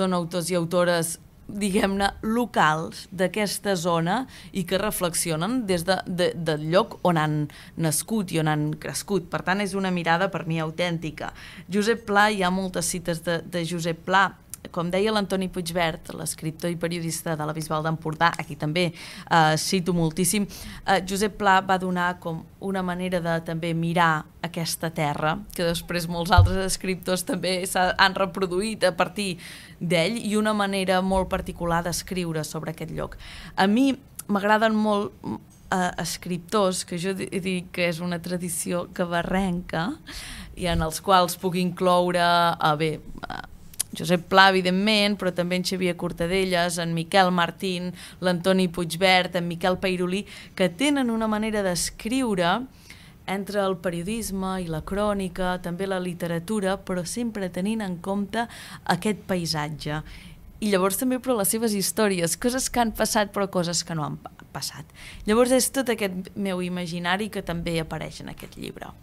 són autors i autores, diguem-ne, locals d'aquesta zona i que reflexionen des del lloc on han nascut i on han crescut. Per tant, és una mirada per mi autèntica. Josep Pla, hi ha moltes cites de Josep Pla. Com deia l'Antoni Puigvert, l'escriptor i periodista de la Bisbal d'Empordà, aquí també cito moltíssim, Josep Pla va donar com una manera de també mirar aquesta terra, que després molts altres escriptors també han reproduït a partir d'ell, i una manera molt particular d'escriure sobre aquest lloc. A mi m'agraden molt escriptors, que jo dic que és una tradició cabarrenca, i en els quals puc incloure, Josep Pla, evidentment, però també en Xavier Cortadellas, en Miquel Martín, l'Antoni Puigvert, en Miquel Peirolí, que tenen una manera d'escriure entre el periodisme i la crònica, també la literatura, però sempre tenint en compte aquest paisatge. I llavors també per les seves històries, coses que han passat però coses que no han passat. Llavors és tot aquest meu imaginari que també apareix en aquest llibre.